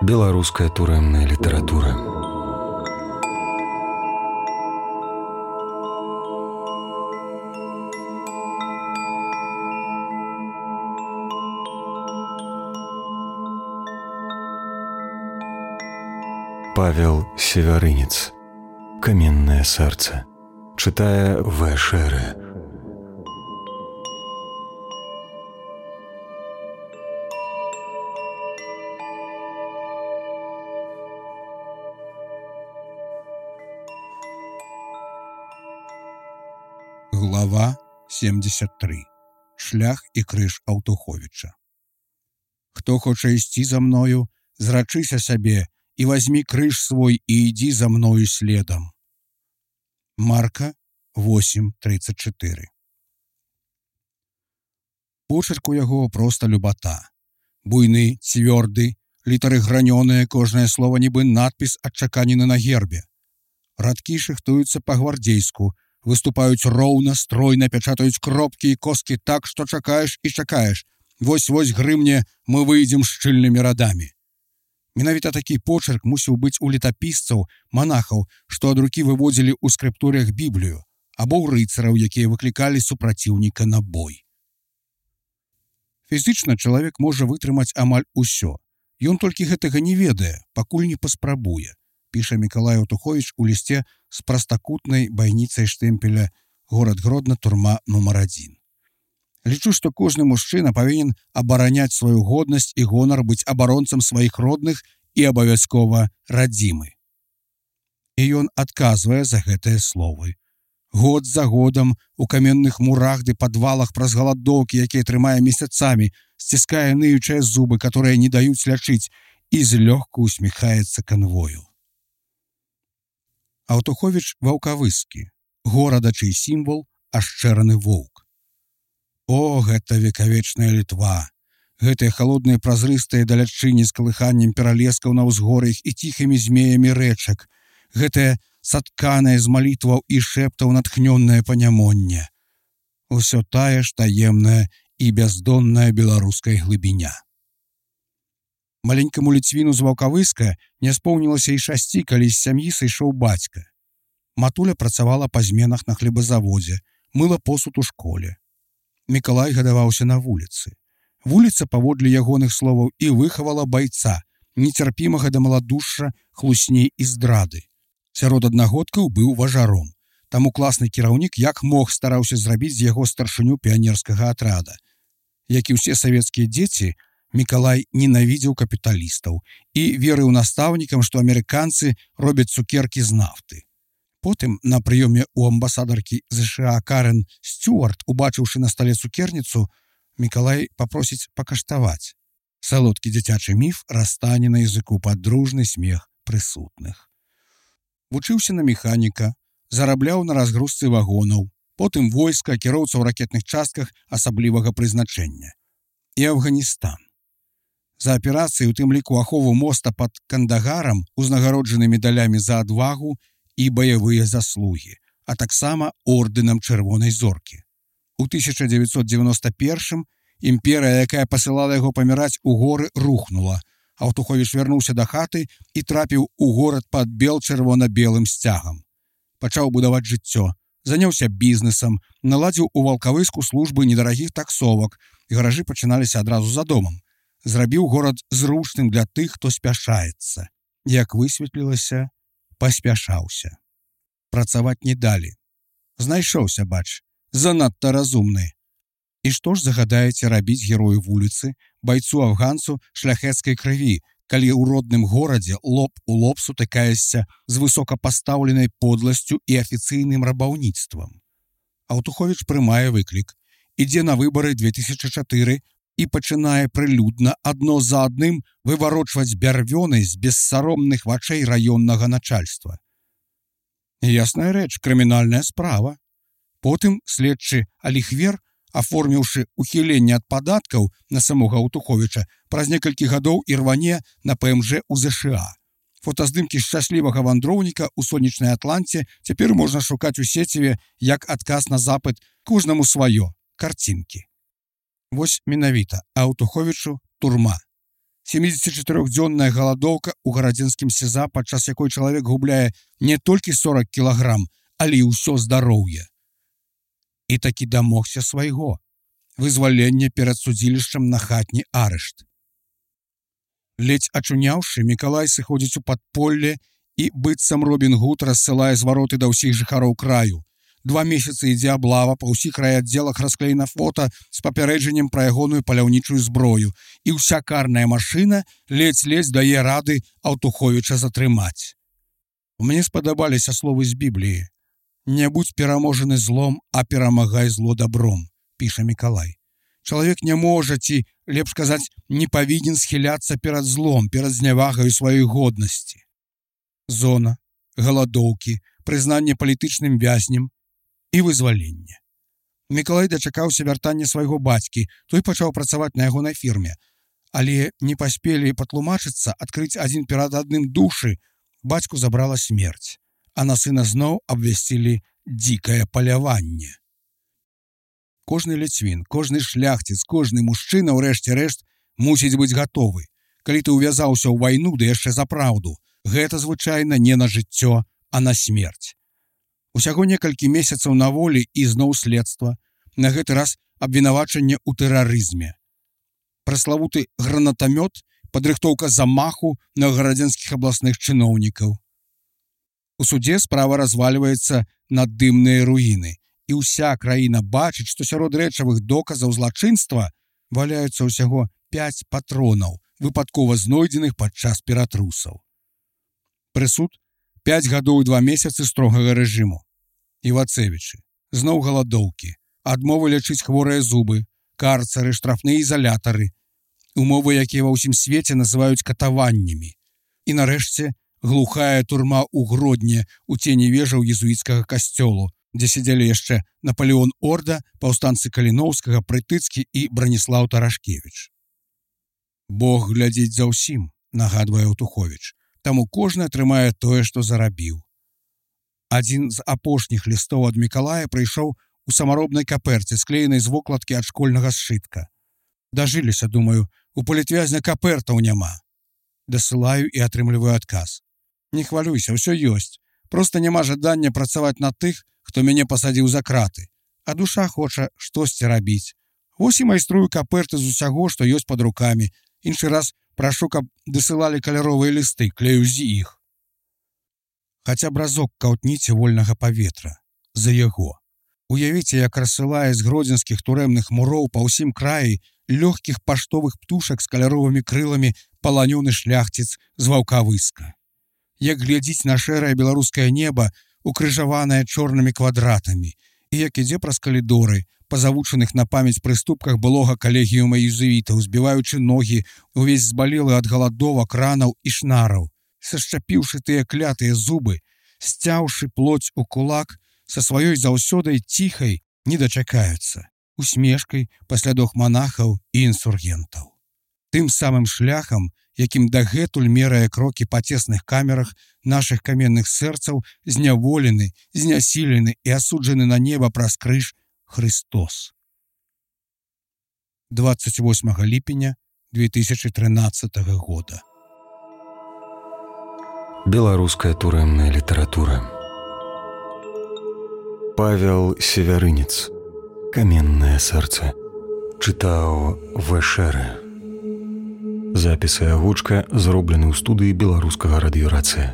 Беларуская турэмная літаратура. Павел Севярынец. «Каменное сердце». Читая В. Шере. Глава 73. Шлях і крыж Аўтуховіча. Хто хоча ісці за мною, зрачыся сябе і вазьмі крыж свой і ідзі за мною следам. Марка 8:34. Почерк у яго проста любата. Буйны, цвёрды, літары гранёныя, кожнае слова нібы надпіс адчаканены на гербе. Радкі шыхтуюцца па-гвардзейску, выступаюць роўна, стройна, пячатаюць кропкі і коскі так, што чакаеш і чакаеш. Вось-вось грымне, мы выйдзем шчыльнымі радамі. Менавіта такі почерк мусіў быць у летапісцаў, манахаў, што ад рукі выводзілі ў скрыптурях Біблію, або ў рыцараў, якія выклікалі супраціўніка на бой. Фізічна чалавек можа вытрымаць амаль усё. Ён толькі гэтага не ведае, пакуль не паспрабуе, піша Мікалай Аўтуховіч у лісце з прастакутнай байніцай штэмпеля «Горад Гродна, турма нумар 1». Лічу, што кожны мужчына павінен абараняць сваю годнасць і гонар, быць абаронцам сваіх родных і абавязкова радзімы. І ён адказвае за гэтыя словы. Год за годам у каменных мурах ды падвалах праз галадоўкі, якія трымае месяцамі, сціскае ныючыя зубы, которые не даюць лячыць, і злёгку усміхаецца канвою. Аўтуховіч ваўкавыскі, горада, чый сімвал ашчэраны воўк. О, гэта векавечная Літва! Гэтыя халодныя празрыстыя далячыні з калыханнем пералескаў на ўзгор'ях і ціхімі змеямі рэчак. Гэтае сатканае з малітваў і шэптаў натхнённае панямонне. Усё тая ж таемная і бяздонная беларуская глыбіня. Маленькаму ліцвіну з ваўкавыска не споўнілася і 6, калі з сям'і сышоў бацька. Матуля працавала па зменах на хлебазаводзе, мыла посуд у школе. Мікалай гадаваўся на вуліцы. Вуліца, паводле ягоных словаў, і выхавала байца, нецярпімага да маладушша, хлусней і здрады. Сярод аднагодкаў быў важаром. Таму класны кіраўнік як мог стараўся зрабіць з яго старшыню піянерскага атрада. Як і ўсе савецкія дзеці, Мікалай ненавідзеў капіталістаў і верыў настаўнікам, што амерыканцы робяць цукеркі з нафты. Потым, на прыёме ў амбасадаркі ЗША Карен Стюарт, убачыўшы на стале цукерніцу, Мікалай папросіць пакаштаваць. Салодкі дзіцячы міф растане на языку пад дружны смех прысутных. Вучыўся на механіка, зарабляў на разгрузцы вагонаў, потым войска, кіроўца ў ракетных частках асаблівага прызначэння. І Афганістан. За аперацыі, у тым ліку ахову моста пад Кандагарам, узнагароджаны медалямі за адвагу і баявыя заслугі, а таксама ордэнам Чырвонай зоркі. У 1991 імперыя, якая пасылала яго паміраць у горы, рухнула. Аўтуховіч вярнуўся да хаты і трапіў у горад пад бел-чырвона-белым сцягам. Пачаў будаваць жыццё, заняўся бізнесам, наладзіў у ваўкавыску службы недарагіх таксовак, і гаражы пачыналіся адразу за домам. Зрабіў горад зручным для тых, хто спяшаецца. Як высветлілася, паспяшаўся. Працаваць не далі. Знайшоўся, бач, занадта разумны. І што ж загадаеце рабіць герою вуліцы, байцу-афганцу шляхецкай крыві, калі ў родным горадзе лоб у лоб сутыкаешся з высокапастаўленай подласцю і афіцыйным рабаўніцтвам? Аўтуховіч прымае выклік, ідзе на выбары 2004 і пачынае прылюдна адно за адным выварочваць бярвёны з бессаромных вачэй раённага начальства. Ясная рэч, крымінальная справа. Потым следчы Аліхвер, аформіўшы ухіленне ад падаткаў на самога Аўтуховіча, праз некалькі гадоў ірване на ПМЖ у ЗША. Фотаздымкі шчаслівага вандроўніка ў сонечнай Атланце цяпер можна шукаць у сеціве як адказ на запыт «Кожнаму сваё» карцінкі. Вось менавіта Аўтуховічу турма. 74-дзённая галадоўка ў гарадзенскім СІЗА, падчас якой чалавек губляе не толькі 40 кілаграм, але і ўсё здароўе. І такі дамогся свайго. Вызваленне перад судзілішчам на хатні арышт. Ледзь ачуняўшы, Мікалай сыходзіць у падполле і, быццам Робін Гуд, рассылае звароты да ўсіх жыхароў краю. 2 месяцы ідзе аблава, па ўсіх райаддзелах расклеена фота з папярэджаннем пра ягоную паляўнічую зброю, і ўся карная машына ледзь-ледзь дае рады Аўтуховіча затрымаць. Мне спадабаліся словы з Бібліі. «Не будь пераможаны злом, а перамагай зло добром», піша Мікалай. Чалавек не можа, ці, лепш сказаць, не павінен схіляцца перад злом, перад знявагаю сваёй годнасці. Зона, галадоўкі, прызнанне палітычным вязнем і вызваленне. Мікалай дачакаўся вяртання свайго бацькі, той пачаў працаваць на ягонай фірме. Але не паспелі патлумачыцца, адкрыць адзін перад адным душы, бацьку забрала смерць, а на сына зноў абвясцілі дзікае паляванне. Кожны ліцвін, кожны шляхціц, кожны мужчына, ў рэшце рэшт, мусіць быць гатовы. Калі ты ўвязаўся ў вайну, ды яшчэ за праўду, гэта звычайна не на жыццё, а на смерць. Усяго некалькі месяцаў на волі і зноў следства, на гэты раз абвінавачанне ў тэрарызме. Праславуты гранатамёт, падрыхтоўка замаху на гарадзенскіх абласных чыноўнікаў. У судзе справа развальваецца на дымныя руіны, і ўся краіна бачыць, што сярод рэчавых доказаў злачынства валяюцца ўсяго 5 патронаў, выпадкова знойдзеных падчас ператрусаў. Прысуд 5 гадоў і 2 месяцы строгага рэжыму. Івацевічы, зноў галадоўкі, адмовы лячыць хворыя зубы, карцары, штрафныя ізалятары, умовы, якія ва ўсім свеце называюць катаваннямі. І нарэшце глухая турма ў Гродні у цені вежаў езуіцкага касцёлу, дзе сядзелі яшчэ Наполеон Орда, паўстанцы Каліноўскага, Прытыцкі і Браніслаў Тарашкевіч. Бог глядзіць за ўсім, нагадвае Аўтуховіч. Таму кожны атрымае тое, што зарабіў. Адзін з апошніх лістоў ад Мікалая прыйшоў у самаробнай каперце, склеенай з вокладкі ад школьнага сшытка. Дажыліся, думаю, у палітвязня капертаў няма. Дасылаю і атрымліваю адказ. Не хвалюйся, ўсё ёсць. Проста няма жадання працаваць на тых, хто мяне пасадзіў за краты. А душа хоча штосьці рабіць. Вось і майструю каперты з усяго, што ёсць пад рукамі. Іншы раз прашу, каб дасылалі каляровыя лісты, клею з іх. Хаця б разок каўтніце вольнага паветра. За яго. Уявіце, як рассылае з гродзенскіх турэмных муроў па ўсім краі лёгкіх паштовых птушак з каляровымі крыламі паланёны шляхціц з Ваўкавыска. Як глядзіць на шэрае беларускае неба, укрыжаванае чорнымі квадратамі, і як ідзе праз калідоры, па завучаных на памяць прыступках былога калегіума езуітаў, збіваючы ногі, увесь збалелы ад галадовак, ранаў і шнараў, сашчапіўшы тыя клятыя зубы, сцяўшы плоць у кулак, са сваёй заўсёдай ціхай не дачакаюцца, усмешкай паслядох манахаў і інсургентаў. Тым самым шляхам, якім дагэтуль мерае крокі па цесных камерах нашых каменных сэрцаў, зняволены, знясілены і асуджаны на неба праз крыж Христос. 28 ліпеня 2013 года. Беларуская турэмная літаратура. Павел Севярынец. «Каменное сэрца». Чытаў В.Шэрэ. Запіс і агучка зроблены ў студыі беларускага радыёрацыя.